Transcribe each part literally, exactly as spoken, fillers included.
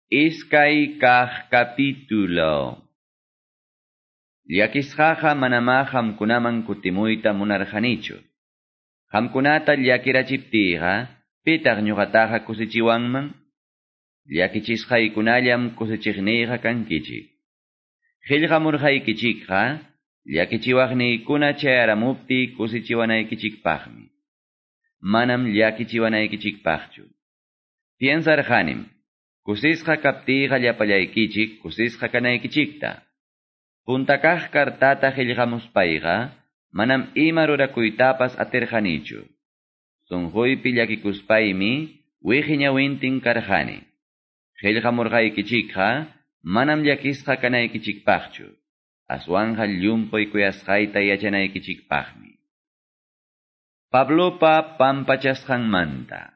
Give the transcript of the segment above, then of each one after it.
Iskay kaq capítulo. Llakisqaqa manamá qamkunaman kutimuyta munarqanichu. Qamkunata llakirachiptiyqa, pitaq ñuqataqa kusichiwanman? Llakichisqaykunallam kusichiqniyqa kankichik. Qillqamurqaykichikqa, llakichiwaqniykuna chayaramuptiy kusichiwanaykichikpaqmi. Manam llakichiwanaykichikpaqchu. Piensarqanim, kusisqa kaptiyqa llapallaykichik kusisqa kanaykichikta. Punta kaq kartata qillqamuspayqa, manam ima rurakuytapas atirqanichu. Sunquypi llakikuspaymi wiqi ñawintin karqani. Qillqamurqaykichikqa manam llakisqa kanaykichikpaqchu. Aswanqa llumpay kuyasqayta yachanaykichikpaqmi. Pablopa pampachasqanmanta.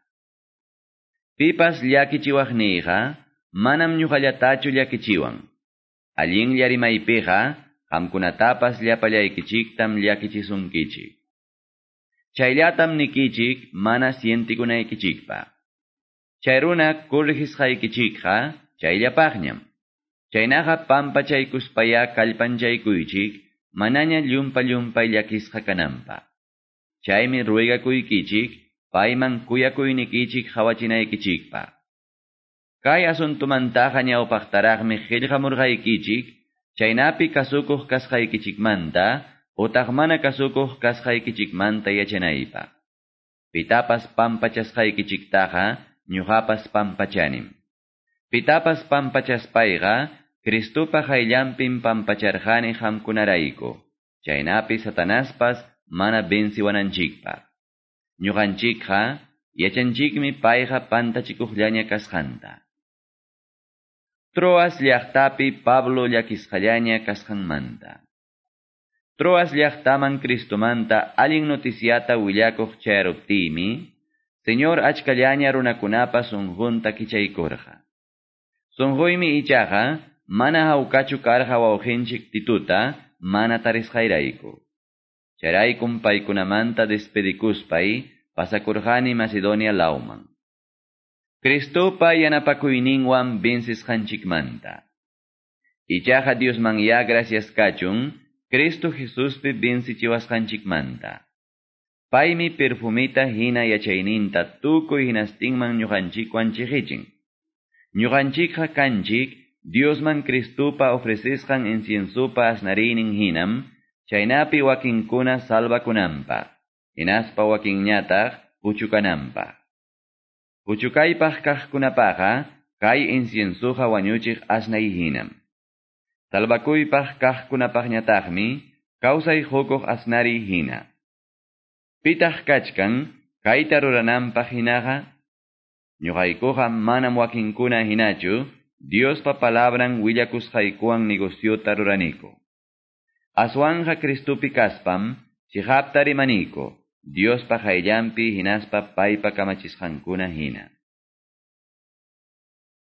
Pipas llakichiwaqniyqa manam ñuqallatachu llakichiwan. Allinlla rimaypiqa qamkunatapas llapallaykichiktam llakichisunkichik. Chayllatam nikichik mana sientikunaykichikpaq. Chay runa corrigisqaykichikqa chayllapaqñam. Chaynaqa pampachaykuspaya kallpanchaykuychik manaña llumpa llumpay llakisqa kananpaq. Chaymi ruegakuykichik payman kuyakuynikichik qhawachinaykichikpaq. Kay asuntumantaqa ñawpaqtaraqmi qillqamurqaykichik, chaynapi kasukuq kasqaykichikmanta utaq mana kasukuq kasqaykichikmanta yachanaypaq. Pitapas pampachasqaykichiktaqa ñuqapas pampachanim. Pitapas pampachaspayqa Cristopa qayllanpim pampacharqani qamkunarayku, chaynapi Satanaspas mana venciwananchikpaq. Ñuqanchikqa yachanchikmi payqa pantachikuqllaña kasqanta. Troas llaqtapi Pablo llakisqallaña kasqanmanta. Troas llaqtaman Cristomanta allin noticiata willakuq chayaruptiymi, Señor achkallaña runakunapa sunqunta kichaykurqa. Sunquymi ichaqa mana hawkachu karqa wawqinchik Tituta mana tarisqayrayku. Chayraykum paykunamanta despedikuspay pasakurqani Macedonia lawman. Cristopa yanapakuyninwan vencisqanchikmanta. Ichaqa Diosman ya gracias kachun, Cristo Jesuspi vencichiwasqanchikmanta. Paymi perfumita hina yachayninta tukuy hinastinman ñuqanchikwan chiqichin. Ñuqanchikqa kanchik Diosman Cristopa ofrecisqan inciensopa asnariynin hinam, chaynapi wakinkuna salvakunanpaq, hinaspa wakinñataq puchukananpaq. Puchukaypaq kaqkunapaqa kay inciensoqa wañuchiq asnay hinam. Salvakuypaq kaqkunapaqñataqmi kawsay qukuq asnariy hina. Pitaq kachkan kayta rurananpaq hinaqa? Ñuqaykuqa manam wakinkuna hinachu Diospa palabran willakusqaykuwan negociota ruraniku. Aswanja Cristopi kaspam chiqapta rimaniku, Diospa qayllanpi hinaspa paypa kamachisqankuna hina.